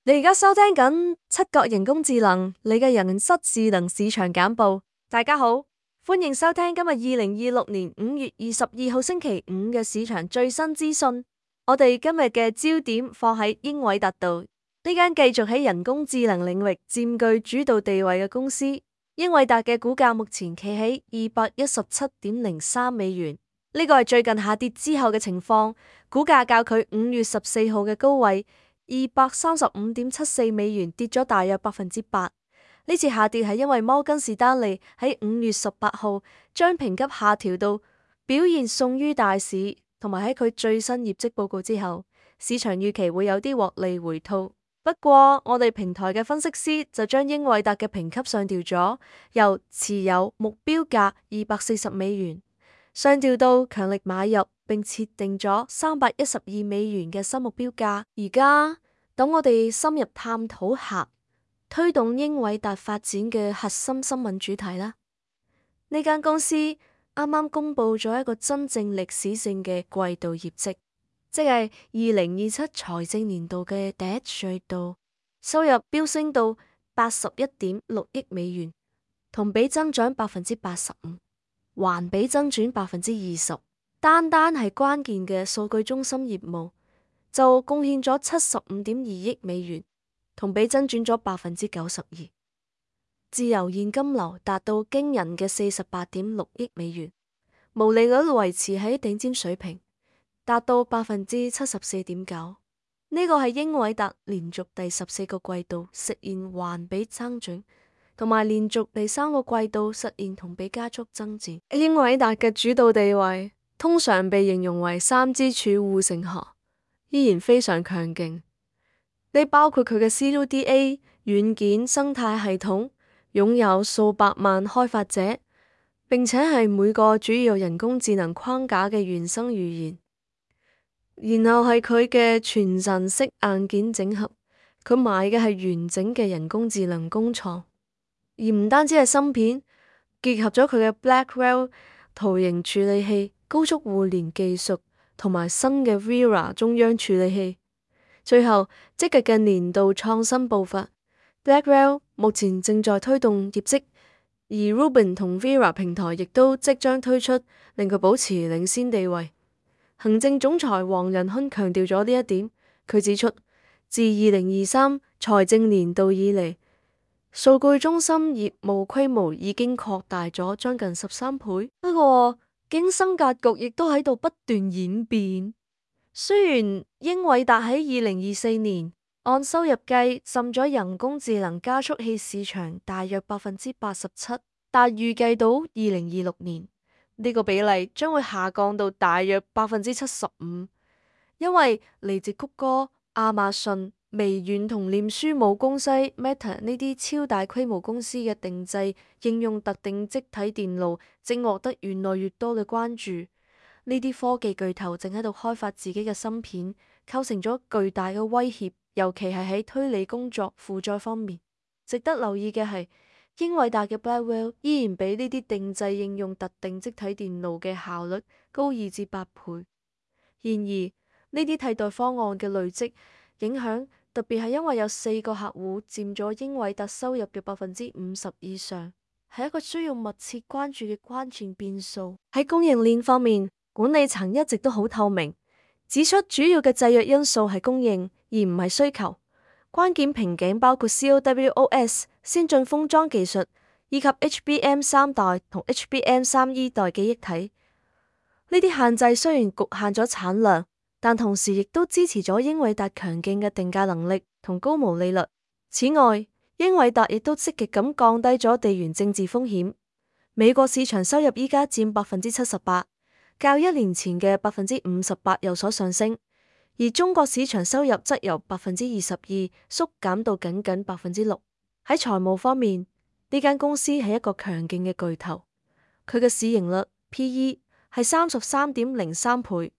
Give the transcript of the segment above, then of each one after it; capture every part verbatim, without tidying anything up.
你而家收聽緊七角人工智能，你嘅人質智能市場簡報。大家好，歡迎收聽今日二零二六年五月二十二號星期五嘅市場最新資訊。我哋今日嘅焦點放喺英偉達度，呢間繼續喺人工智能領域佔據主導地位嘅公司。英偉達嘅股價目前企喺二百一十七點零三美元，呢個係最近下跌之後嘅情況，股價較佢五月十四號嘅高位二百三十五點七四美元跌咗大約百分之八。呢次下跌係因為摩根士丹利喺五月十八號將評級下調到表現遜於大市，同埋喺佢最新業績報告之後，市場預期會有啲獲利回吐。不過我哋平台嘅分析師就將英偉達嘅評級上調咗，由持有目標價二百四十美元上調到強力買入，並設定咗三百一十二美元嘅新目標價。而家等我哋深入探討下推動英偉達發展嘅核心新聞主題啦。呢間公司啱啱公布咗一個真正歷史性嘅季度業績，即係二零二七財政年度嘅第一季度，收入飆升到八十一點六億美元，同比增長百分之八十五。環比增長百分之二十，單單係關鍵嘅數據中心業務就貢獻咗七十五點二億美元，同比增長咗百分之九十二。自由現金流達到驚人嘅四十八點六億美元，毛利率維持喺頂尖水平，達到百分之七十四點九。呢個係英偉達連續第十四個季度實現環比增長，同埋連續第三個季度實現同比加速增長。英偉達嘅主導地位通常被形容為三支柱護城河，依然非常強勁。呢包括佢嘅 C U D A 軟件生態系統，擁有數百萬開發者，並且係每個主要人工智能框架嘅原生語言。然後係佢嘅全陣式硬件整合，佢買嘅係完整嘅人工智能工廠。而唔單止係芯片，結合咗佢嘅 Blackwell 圖形處理器、高速互聯技術同埋新嘅 Vera 中央處理器。最後，積極嘅年度創新步伐。Blackwell 目前正在推動業績，而 Rubin 同 Vera 平台亦都即將推出，令佢保持領先地位。行政總裁黃仁勳強調咗呢一點，佢指出，自二零二三財政年度以嚟，數據中心業務規模已經擴大咗將近十三倍。不過，競爭格局亦都喺度不斷演變。雖然英偉達喺二零二四年按收入計佔咗人工智能加速器市場大約百分之八十七，但預計到二零二六年呢個比例將會下降到大約百分之七十五，因為嚟自谷歌、亞馬遜、微軟同臉書母公司 Meta 呢啲超大規模公司嘅定製應用特定積體電路正獲得越來越多嘅關注。呢啲科技巨頭正喺度開發自己嘅芯片，構成咗巨大嘅威脅，尤其係喺推理工作負載方面。值得留意嘅係，英偉達嘅 Blackwell 依然比呢啲定製應用特定積體電路嘅效率高二至八倍。然而，呢啲替代方案嘅累積影響，特別係因為有四個客戶佔咗英偉達收入嘅百分之五十以上，係一個需要密切關注嘅關鍵變數。喺供應鏈方面，管理層一直都好透明，指出主要嘅制約因素係供應，而唔係需求。關鍵瓶頸包括 C O W O S 先進封裝技術，以及 H B M 三代同 H B M 三 E 代記憶體。呢啲限制雖然局限咗產量，但同時亦都支持咗英偉達強勁嘅定價能力同高毛利率。此外，英偉達亦都積極咁降低咗地緣政治風險。美國市場收入依家佔百分之七十八。較一年前嘅百分之五十八有所上升，而中國市場收入則由百分之二十二縮減到僅僅百分之六。喺財務方面，呢間公司係一個強勁嘅巨頭，佢嘅市盈率 P E 係三十三點零三倍，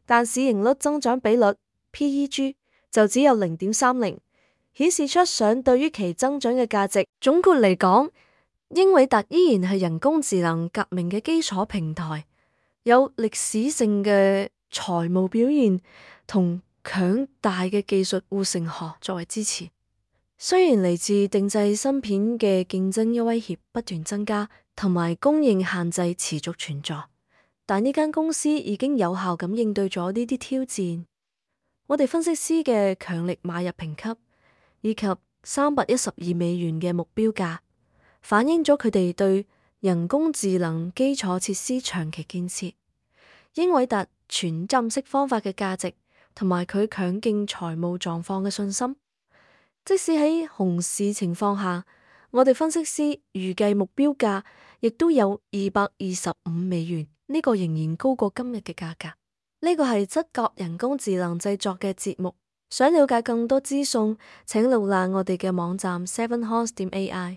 但市盈率增長比率 P E G 就只有零點三零，顯示出相對於其增長嘅價值。總括嚟講，英偉達依然係人工智能革命嘅基礎平台，有歷史性嘅財務表現同強大嘅技術護城河作為支持。雖然嚟自定製芯片嘅競爭威脅不斷增加，同埋供應限制持續存在，但呢間公司已經有效咁應對咗呢啲挑戰。我哋分析師嘅強力買入評級，以及三百一十二美元嘅目標價，反映咗佢哋對人工智能基礎設施長期建設，英偉達全站式方法嘅價值，同埋佢強勁財務狀況嘅信心。即使喺熊市情況下，我哋分析師預計目標價亦都有二百二十五美元，呢個仍然高過今日嘅價格。呢個係側角人工智能製作嘅節目，想了解更多資訊，請瀏覽我哋嘅網站 seven horse 點 A I。